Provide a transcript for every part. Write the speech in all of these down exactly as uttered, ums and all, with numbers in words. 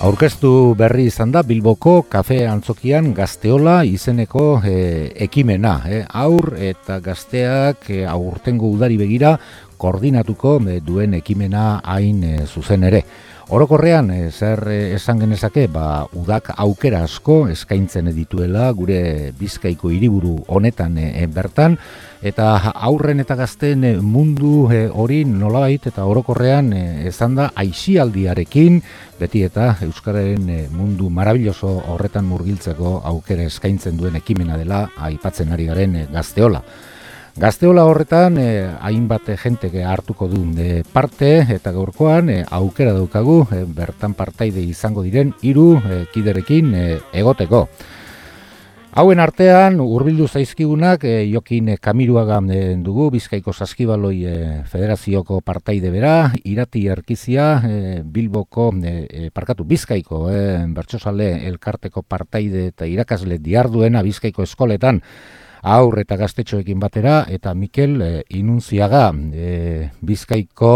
Aurkeztu berri izan da Bilboko kafe antzokian Gazteola izeneko e, ekimena. E, aur eta gazteak e, aurtengo udari begira koordinatuko e, duen ekimena hain e, zuzen ere. Orokorrean, e, zer e, esan genezake, ba, udak aukera asko eskaintzen dituela gure Bizkaiko hiriburu honetan e, bertan, eta aurren eta gazteen mundu e, hori nolabait eta orokorrean e, ezan da aisialdiarekin, beti eta euskararen e, mundu marabilloso horretan murgiltzeko aukera eskaintzen duen ekimena dela aipatzen ari garen e, Gazteola. Gazteola horretan eh, hainbat jenteke hartuko du eh, parte eta gaurkoan eh, aukera daukagu eh, bertan partaide izango diren hiru eh, kiderekin eh, egoteko. Hauen artean hurbildu zaizkigunak eh, Jokin Kamiruaga eh, dugu Bizkaiko Saskibaloi eh, Federazioko partaide bera, Irati Erkizia eh, Bilboko eh, parkatu Bizkaiko eh, bertsozale elkarteko partaide eta irakasle diarduena Bizkaiko eskoletan aur eta gaztetxoekin batera, eta Mikel e, Inuntziaga, e, Bizkaiko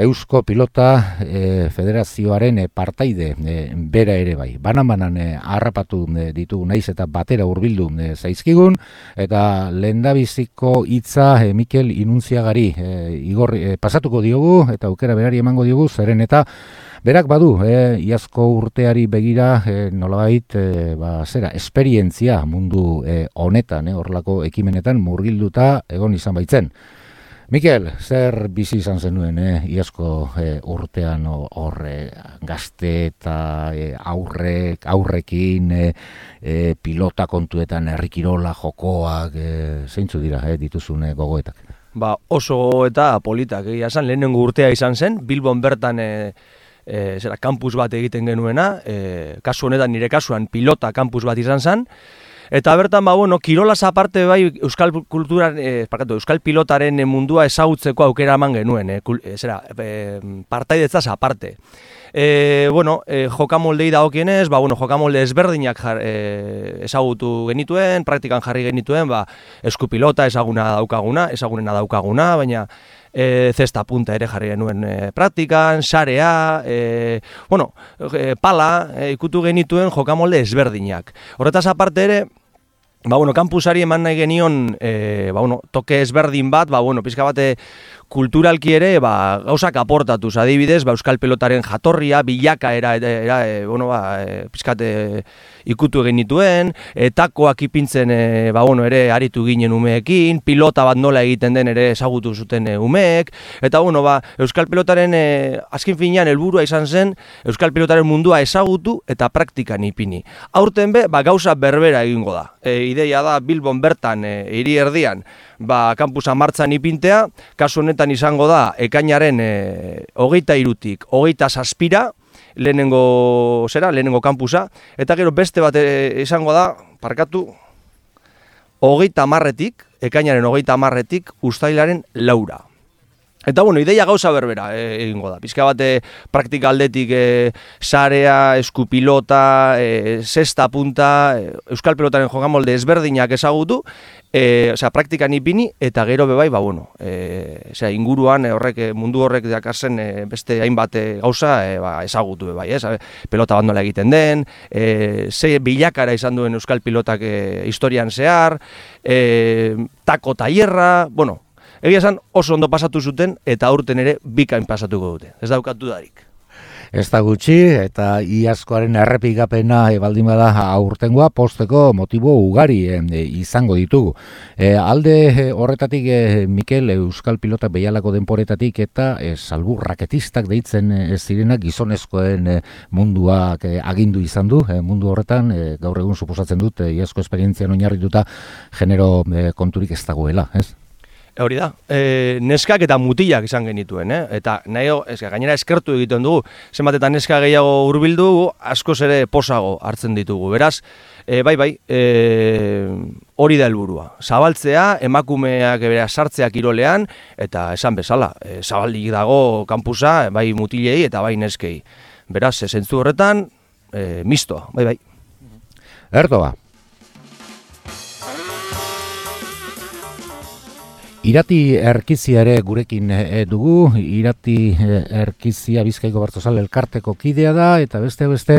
Eusko Pilota e, Federazioaren e, partaide e, bera ere bai. Banan-banan e, harrapatu e, ditugu naiz eta batera hurbildu e, zaizkigun, eta lehendabiziko hitza e, Mikel Inuntziagari e, igor, e, pasatuko diogu, eta aukera berari emango diogu, zeren eta berak badu, eh, iazko urteari begira eh, nolabait eh, ba, zera, esperientzia mundu eh, honetan, eh, horlako ekimenetan murgilduta egon izan baitzen. Mikel, zer bizi izan zenuen eh, iazko eh, urtean horre gazte eta eh, aurrek, aurrekin eh, eh, pilota kontuetan herrikirola jokoak, eh, zeintzu dira eh, dituzune gogoetak? Ba, oso eta politak, egia esan, lehenengo urtea izan zen, Bilbon bertan eh, E, zera, kampus bat egiten genuena, e, kasu honetan nire kasuan pilota kampus bat izan zen, eta bertan, ba, bueno, kirolaz aparte bai euskal kulturan, e, parkatu, euskal pilotaren mundua ezagutzeko aukera eman genuen, e, kul, e, zera, e, partaidetzaz aparte. E, bueno, e, jokamoldei dagokienez, ba, bueno, jokamolde ezberdinak jar, e, ezagutu genituen, praktikan jarri genituen, ba, eskupilota ezaguna daukaguna, ezagunena daukaguna, baina E, zesta punta ere jarri genuen e, praktikan, sarea, e, bueno, e, pala, e, ikutu genituen jokamolde ezberdinak. Horretaz aparte ere, ba, bueno, kampusari eman nahi genion e, ba, bueno, toke ezberdin bat, ba, bueno, pizka bate kulturalki ere ba, gauzak aportatuz, adibidez, ba, euskal pelotaren jatorria, bilaka era, era e, bueno, ba, e, pizkate ikutu egin nituen, e, takoak ipintzen e, ba, bueno, ere aritu ginen umeekin, pilota bat nola egiten den ere ezagutu zuten e, umeek, eta bueno, ba, euskal pelotaren e, azken finean helburua izan zen, euskal pelotaren mundua ezagutu eta praktikan ipini. Aurten be, ba, gauza berbera egingo da. E, ideia da Bilbon bertan, e, hiri erdian, ba, kampusa martzan ipintea, kasu honetan izango da, ekainaren e, hogeita irutik, hogeita zazpira, lehenengo, zera, lehenengo kampusa, eta gero beste bat e, izango da, parkatu, hogeita marretik, ekainaren hogeita marretik, uztailaren laura. Eta, bueno, ideia gauza berbera e, egingo da. Pizka bate praktika aldetik e, sarea, eskupilota, e, zesta punta, e, euskal pelotaren jokamolde ezberdinak ezagutu, e, osea, praktikan ipini, eta gero bebai, ba, bueno, e, osea, inguruan e, horrek, mundu horrek dakarzen e, beste hainbat e, gauza e, ba, ezagutu bebai, ez? Pelota bat nola egiten den, e, ze bilakara izan duen euskal pilotak e, historian zehar, e, tako tailerra, bueno, egia esan oso ondo pasatu zuten eta aurten ere bikain pasatuko dute. Ez daukat dudarik. Ez da gutxi eta iazkoaren errepikapena e, baldin bada aurtengoa posteko motibo ugari e, izango ditugu. E, alde e, horretatik e, Mikel euskal pilota behialako denporetatik eta e, salbu raketistak deitzen ez zirenak gizonezkoen e, munduak e, agindu izan du. E, mundu horretan e, gaur egun suposatzen dut e, iazko esperientzian oinarrituta genero e, konturik ez dagoela, ez? Hori da, e, neskak eta mutilak izan genituen, eh? Eta nahi, eska, gainera eskertu egiten dugu, zenbat eta neska gehiago hurbildu, askoz ere posago hartzen ditugu. Beraz, e, bai, bai, e, hori da helburua. Zabaltzea, emakumeak beraz sartzea kirolean, eta esan bezala, e, zabaldik dago kampusa, bai mutilei eta bai neskei. Beraz, zentzu horretan, e, mistoa, bai, bai. Erdoa. Irati Erkizia ere gurekin e, dugu, Irati e, Erkizia Bizkaiko Bertsozale elkarteko kidea da, eta beste beste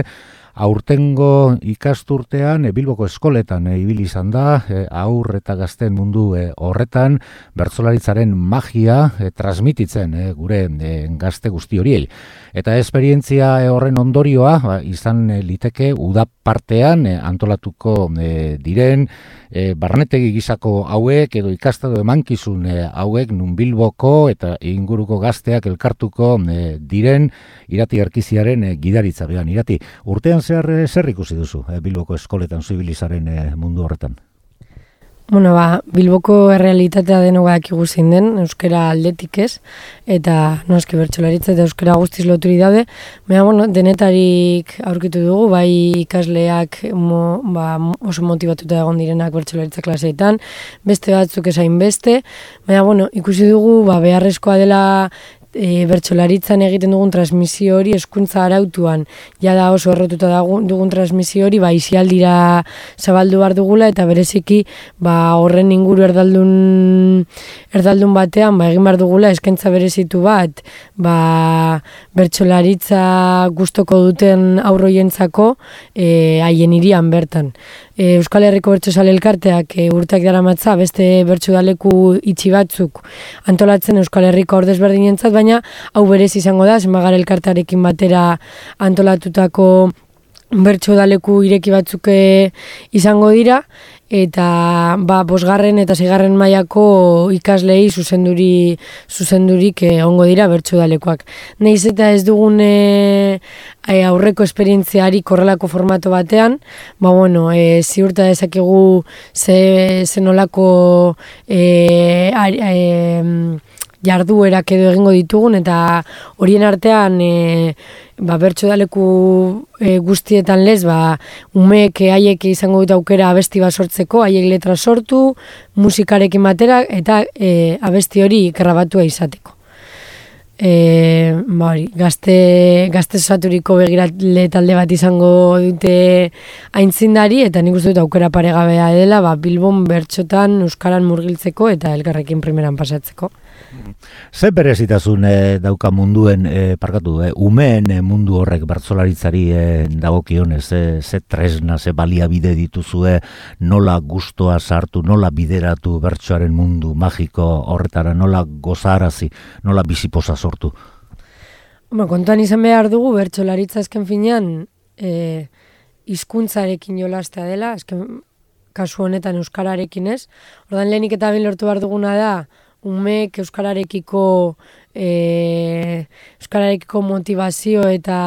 aurtengo ikasturtean e, Bilboko eskoletan e, ibili izan da, e, aur eta gazten mundu e, horretan bertsolaritzaren magia e, transmititzen e, gure e, gazte guzti horiei. Eta esperientzia e, horren ondorioa ba, izan e, liteke uda partean e, antolatuko e, diren e, barnetegi gisako hauek edo ikastado emankizun e, hauek nun Bilboko eta inguruko gazteak elkartuko e, diren Irati Erkiziaren e, gidaritza behan. Irati, urtean zehar e, zer ikusi duzu e, Bilboko eskoletan zibilizaren e, mundu horretan? Bueno, ba, Bilboko errealitatea denoga dakigu zein den, euskara aldetik ez, eta noski bertsolaritza eta euskara guztiz loturi daude, baina bueno, denetarik aurkitu dugu, bai ikasleak mo, ba, oso motibatuta egon direnak bertsolaritza klaseetan, beste batzuk esain beste, baina bueno, ikusi dugu ba, beharrezkoa dela E, bertsolaritzan egiten dugun transmisio hori hezkuntza arautuan jada oso errotuta dugun, dugun transmisio hori ba isialdira zabaldu behar dugula eta bereziki ba horren inguru erdaldun erdaldun batean ba egin behar dugula eskaintza berezitu bat ba bertsolaritza gustoko duten aurroientzako e, haien hirian bertan. E, Euskal Herriko Bertsozale elkarteak e, urteak daramatza beste bertsudaleku itxi batzuk antolatzen Euskal Herriko ordezberdinentzat, baina hau berez izango da, zenbagar elkartearekin batera antolatutako bertsudaleku ireki batzuk izango dira, eta ba, bosgarren eta seigarren mailako ikaslei zuzenduri, zuzendurik eh, ongo dira bertsudalekoak. Nahiz eta ez dugun e, aurreko esperientziari korrelako formato batean, ba bueno, e, ziurta dezakegu ze, ze nolako e, e, jarduerak edo egingo ditugun, eta horien artean e, ba, bertsodaleku e, guztietan lez, ba, umeek haiek izango dut aukera abesti bat sortzeko, haiek letra sortu, musikarekin batera, eta e, abesti hori grabatua izateko. E, ba, hori, gazte, gazte osaturiko begirale talde bat izango dute aintzindari, eta nik uste dut aukera paregabea dela ba, Bilbon bertsotan euskaran murgiltzeko eta elkarrekin primeran pasatzeko. Ze berezitasun e, dauka munduen, e, parkatu, e, umeen e, mundu horrek bertsolaritzari e, dagokionez, e, ze tresna, ze baliabide dituzue, nola gustoa sartu, nola bideratu bertsoaren mundu magiko horretara, nola gozarazi, nola biziposa sortu? Ba, kontuan izan behar dugu, bertsolaritza azken finean e, hizkuntzarekin jolastea dela, azken kasu honetan euskararekin ez. Ordan lehenik eta behin lortu behar duguna da, umeek euskararekiko e, euskararekiko motivazio eta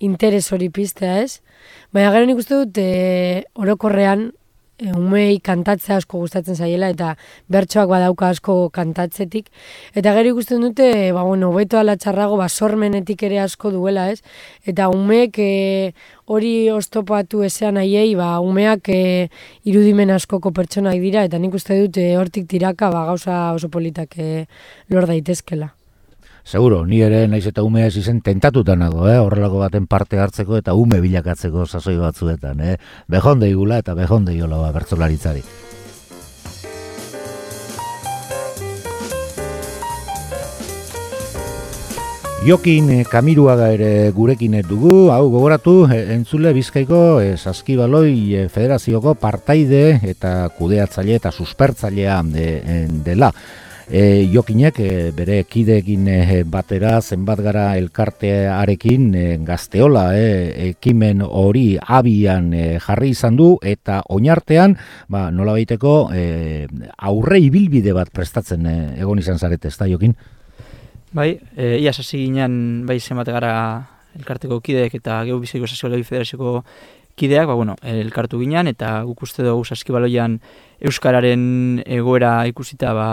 interes hori piztea ez. Baina gero nik uste dut e, orokorrean e, umei kantatzea asko gustatzen zaiela eta bertsoak badauka asko kantatzetik. Eta gero ikusten dute, ba, bueno, hobeto ala txarrago, ba, sormenetik ere asko duela ez. Eta umeek e, hori oztopatu ezean haiei, ba, umeak e, irudimen askoko pertsonak dira, eta nik uste dut e, hortik tiraka ba, gauza oso politak e, lor daitezkela. Seguro, ni ere naiz eta umea ez izen tentatuta nago, eh? Horrelako baten parte hartzeko eta ume bilakatzeko sasoi batzuetan. Eh? Behonde igula eta behonde iola ba, bertsolaritzari. Jokin Kamiruaga ere gurekin dugu, hau gogoratu, entzule Bizkaiko e, Saskibaloi e, Federazioko partaide eta kudeatzaile eta suspertzailea de, dela. E, Jokinek e, bere kideekin e, batera zenbat gara elkartearekin e, Gazteola e, ekimen hori abian e, jarri izan du, eta oinartean ba, nola baiteko e, aurre ibilbide bat prestatzen e, egon izan zarete, ez da Jokin? Bai, e, iaz hasi ginen bai zenbat gara elkarteko kideek eta Geu Bizkaiko Saskibaloi Federazioko kideak, ba, bueno, elkartu ginen, eta guk uste dugu Saskibaloian euskararen egoera ikusita ba,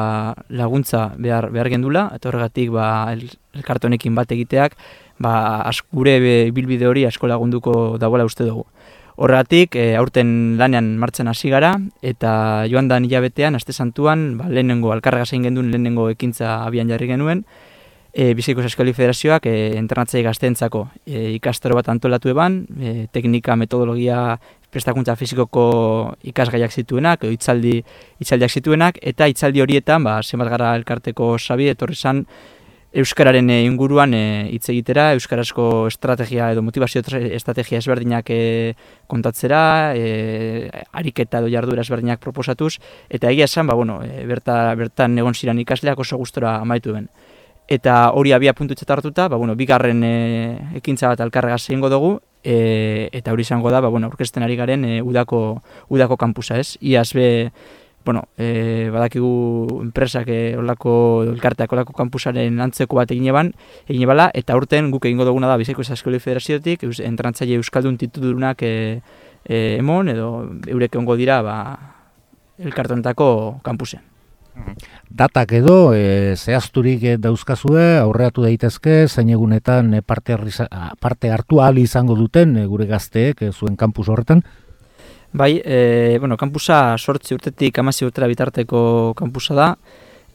laguntza behar, behar gendula, eta horregatik ba, el, elkartu honekin bat egiteak ba, ask, gure bilbide hori asko lagunduko dagoela uste dugu. Horregatik, e, aurten lanean martzen hasi gara, eta joan da hilabetean, aste santuan, ba, lehenengo alkarrega zein genduen lehenengo ekintza abian jarri genuen, e, Bizkaiko Saskibaloi Federazioak e, entrenatzaile gazteentzako e, ikastaro bat antolatu eban, e, teknika, metodologia, prestakuntza fizikoko ikasgaiak zituenak, edo hitzaldi, hitzaldiak zituenak, eta hitzaldi horietan, ba, zenbat gara elkarteko sabi, etorri zan, euskararen inguruan hitz e, egitera, euskarazko estrategia edo motivazio estrategia ezberdinak e, kontatzera, e, ariketa edo jarduera ezberdinak proposatuz, eta egia esan, ba, bueno, e, berta, bertan egon ziren ikasleak oso gustora amaitu ben. Eta hori abia puntutzat hartuta, ba, bueno, bigarren e, ekintza bat alkarregaz egingo dugu, e, eta hori izango da, ba, bueno, aurkezten ari garen e, udako, udako kampusa, ez? Iaz be, bueno, e, badakigu enpresak e, olako, elkarteak olako kampusaren antzeko bat egin eban, egin ebala, eta urten guk egingo duguna da Bizkaiko Saskibaloi Federaziotik, entrenatzaile euskaldun titudurunak e, e, emon, edo eurek egongo dira ba, elkartonetako kampusen. Datak edo e, zehazturik dauzkazue, aurreatu daitezke, zein egunetan e, parte, arriza, parte hartu ahal izango duten e, gure gazteek e, zuen kampus horretan? Bai, e, bueno, kampusa sortzi urtetik hamazi urtera bitarteko kampusa da,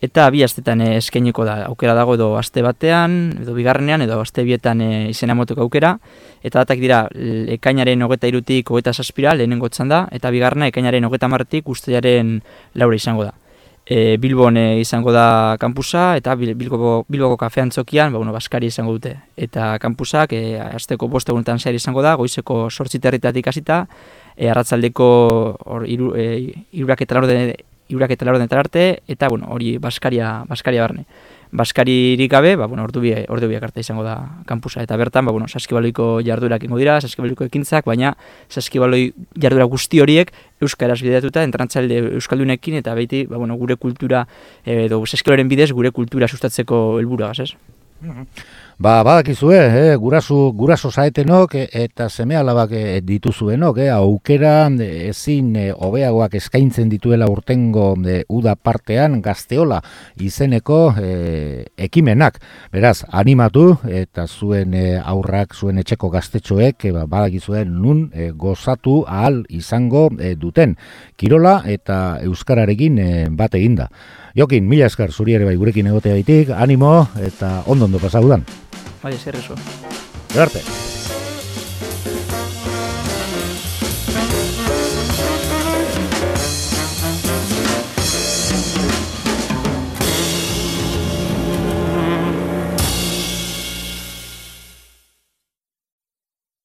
eta bi astetan e, eskainiko da. Aukera dago edo aste batean, edo bigarrenean, edo aste bietan e, izena emoteko aukera, eta datak dira ekainaren hogeta irutik hogeta zazpira lehenengo txan da, eta bigarrena ekainaren hogeta marretik uztailaren laura izango da. E, Bilbon e, izango da kampusa, eta Bilboko, Bilboko kafe antzokian ba, bueno, Baskari izango dute. Eta kampusak e, asteko bost egunetan zehar izango da, goizeko sortzi territatik hasita, e, arratzaldeko hor, iru, e, irurak eta laurden arte, eta bueno, hori Baskaria, Baskaria barne. Baskaririk gabe, ba, bueno, ordu biak ordu biak arte izango da kampusa, eta bertan ba, bueno, saskibaloiko jarduerak ingo dira, saskibaloiko ekintzak, baina saskibaloi jardura guzti horiek euskaraz bideratuta, entrenatzaile euskaldunekin, eta beti ba, bueno, gure kultura, edo saskibaloren bidez gure kultura sustatzeko helburua, ez? Ba, badakizue, eh, gurasu, guraso zaetenok eta seme-alabak eh, dituzuenok, eh, aukera eh, ezin eh, hobeagoak eskaintzen dituela urtengo eh, uda partean Gazteola izeneko eh, ekimenak. Beraz, animatu eta zuen eh, aurrak, zuen etxeko gaztetxoek eh, badakizue nun eh, gozatu ahal izango eh, duten. Kirola eta euskararekin eh, bat eginda. Jokin, mila esker zuri ere bai gurekin egotea ditik, animo eta ondo ondo pasaudan. Bai, ezer eso. Gerte.